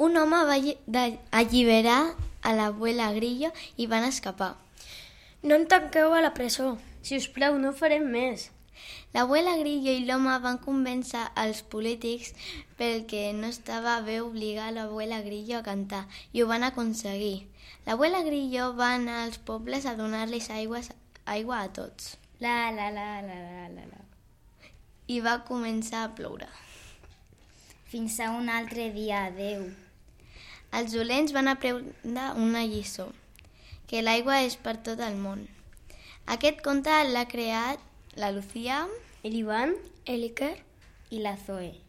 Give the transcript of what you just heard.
Un home va alliberar a l'abuela Grillo i van escapar. No em tanqueu a la presó. Si us plau, no farem més. L'abuela Grillo i l'home van convèncer els polítics perquè no estava bé obligar l'abuela Grillo a cantar i ho van aconseguir. L'abuela Grillo va anar als pobles a donar-los aigua a tots. La. I va començar a ploure. Fins a un altre dia, adeu. Els dolents van aprendre una lliçó, que l'aigua és per tot el món. Aquest conte l'ha creat la Lucía, El Ivan, El Iker I la Zoe.